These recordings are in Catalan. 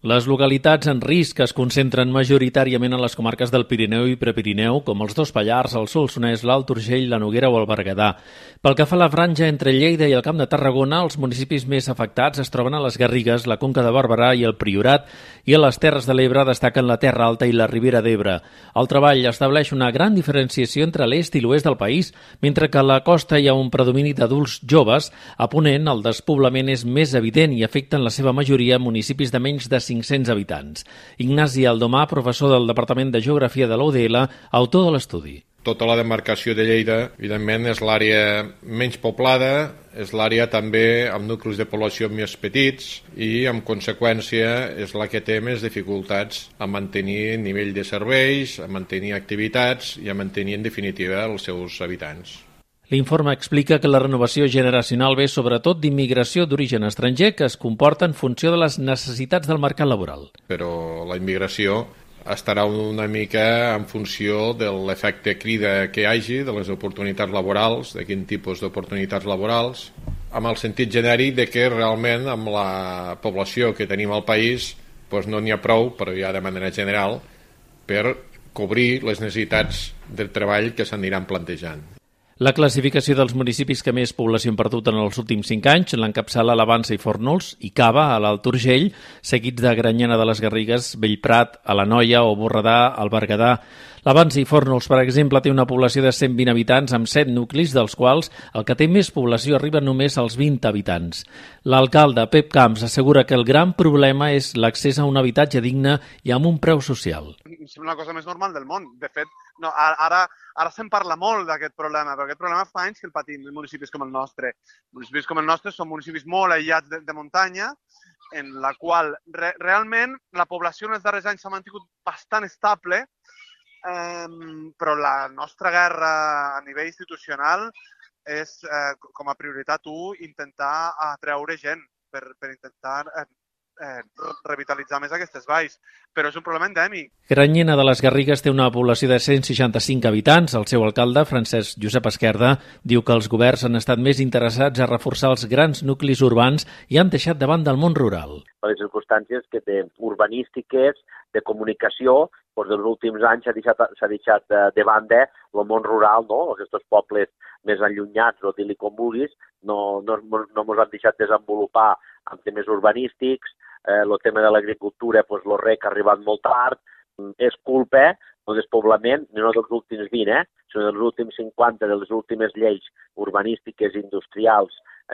Les localitats en risc es concentren majoritàriament en les comarques del Pirineu i Prepirineu, com els dos Pallars, el Solsonès, l'Alt Urgell, la Noguera o el Berguedà. Pel que fa a la franja entre Lleida i el Camp de Tarragona, els municipis més afectats es troben a les Garrigues, la Conca de Barberà i el Priorat, i a les Terres de l'Ebre destaquen la Terra Alta i la Ribera d'Ebre. El treball estableix una gran diferenciació entre l'est i l'oest del país, mentre que a la costa hi ha un predomini d'adults joves. A Ponent, el despoblament és més evident i afecta en la seva majoria municipis de menys de 500 habitants. Ignasi Aldomà, professor del Departament de Geografia de la UDL, autor de l'estudi. Tota la demarcació de Lleida, evidentment, és l'àrea menys poblada, és l'àrea també amb nuclis de població més petits i, en conseqüència, és la que té més dificultats a mantenir nivell de serveis, a mantenir activitats i a mantenir, en definitiva, els seus habitants. L'informe explica que la renovació generacional ve sobretot d'immigració d'origen estranger que es comporta en funció de les necessitats del mercat laboral. Però la immigració estarà una mica en funció de l'efecte crida que hi hagi, de les oportunitats laborals, de quin tipus d'oportunitats laborals, amb el sentit genèric de que realment amb la població que tenim al país doncs no n'hi ha prou, però ja de manera general, per cobrir les necessitats del treball que s'aniran plantejant. La classificació dels municipis que més població han perdut en els últims 5 anys l'encapçala la Vansa i Fórnols i Cava, a l'Alt Urgell, seguits de Granyena de les Garrigues, Bellprat, a la Noia o Borredà, al Berguedà. La Vansa i Fórnols, per exemple, té una població de 120 habitants amb 7 nuclis, dels quals el que té més població arriba només als 20 habitants. L'alcalde, Pep Camps, assegura que el gran problema és l'accés a un habitatge digne i amb un preu social. És una cosa més normal del món. De fet, no, ara se'n parla molt d'aquest problema, però aquest problema fa anys que el patim en municipis com el nostre. Municipis com el nostre són municipis molt aïllats de muntanya, en la qual realment la població en els darrers anys s'ha mantingut bastant estable, però la nostra guerra a nivell institucional és, com a prioritat 1, intentar atreure gent per intentar revitalitzar més aquestes valls, però és un problema endèmic. Granyena de les Garrigues té una població de 165 habitants. El seu alcalde, Francesc Josep Esquerda, diu que els governs han estat més interessats a reforçar els grans nuclis urbans i han deixat de banda el món rural. Les circumstàncies que urbanístiques, de comunicació, doncs dels últims anys s'ha deixat de banda el món rural, no? Aquests pobles més allunyats, o dir-li com vulguis, no ens han deixat desenvolupar amb temes urbanístics. El tema de l'agricultura, el rec ha arribat molt tard. És culpa del despoblament, no dels últims 20, sinó dels últims 50, de les últimes lleis urbanístiques i industrials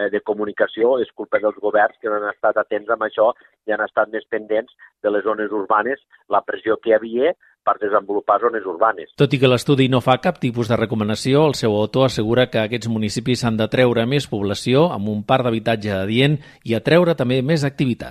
de comunicació. És culpa dels governs que no han estat atents amb això i han estat més pendents de les zones urbanes, la pressió que hi havia per desenvolupar zones urbanes. Tot i que l'estudi no fa cap tipus de recomanació, el seu autor assegura que aquests municipis han de treure més població amb un parc d'habitatge adient i atreure també més activitat.